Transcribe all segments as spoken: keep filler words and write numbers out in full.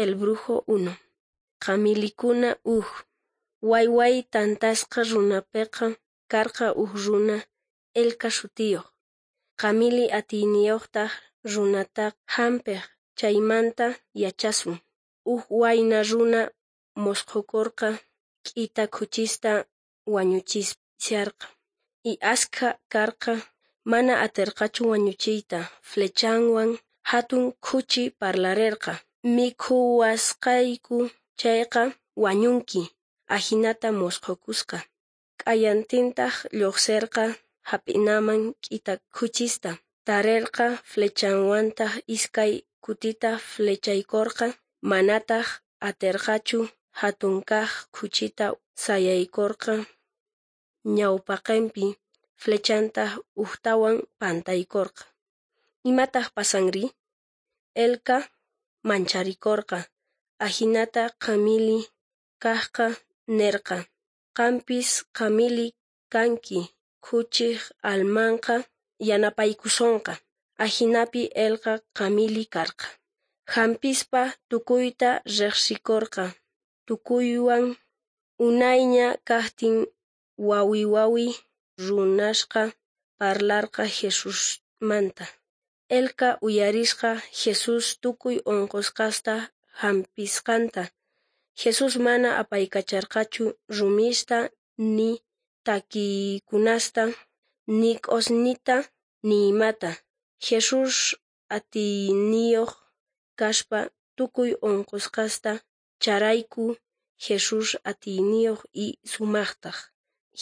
El Brujo uno. Qamilikuna uj. Wayway tantasqa runapeqa karqa uj runa Elka sutiyoj. Qamili atiyniyojtaj runata jampej, chaymanta yachasun. Uj wayna runa mosqokorqa k'ita khuchista wañuchisharqa. Y askha karqa, mana aterqachu wañuchiyta. Flechanwan jatun khuchi parlarerqa: "Mikhuwasqayku chayqa wañunki". Ajinata mosqokusqa. Q'ayantintaj llojserqa jap'inaman k'ita khuchista. Tarerqa, flechanwantaj iskay kutita flechaykorqa, manataj aterqachu. Jatun kaj khuchita sayaykorqa ñawpaqenpi, flechantaj ujtawan pantaykorqa. Imataj pasanri? Elka mancharikorqa. Ajinata qamili kajqa nerqa: "Qampis qamili kanki, khuchej almanqa yanapaykusonqa". Ajinapi Elka qamili karqa. Jampispa tukuyta rejsikorqa, tukuywan unayña kajtin wawi wawi runasqa parlarqa Jesusmanta. Elka uyarisqa Jesús tukuy onqosqasta jampisqanta. Jesús mana apaykacharqachu rumista, ni takiykunasta, ni q'osñita, ni imata. Jesús atiyniyoj kaspa tukuy onqosqasta charayku Jesús atiyniyoj y sumajtaj.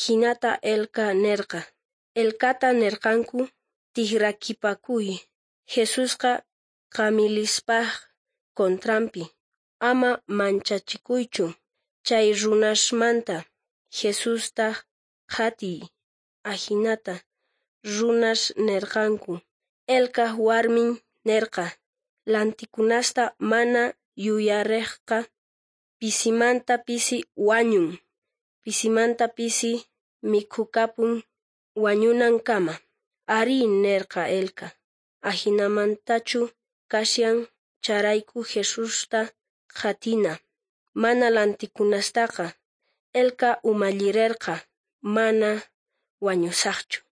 Jinata Elka nerqa. Elkata nerqanku: "Tijrakipakuy, Jesusqa qamilispaj contranpi. Ama manchachikuychu chay runasmanta, Jesusta qhatiy". Ajinata runas nerqanku. Elkaj warmin nerqa: "Lantikunasta mana yuyarejqa pisimanta pisi wañun, pisimanta pisi mikhukapun wañunankama". Arí, nerqa Elka, ajinamantachu kashan, chayrayku Jesusta qhatina, mana lantikunastaqa. Elka umallirerqa: "Mana wañusajchu".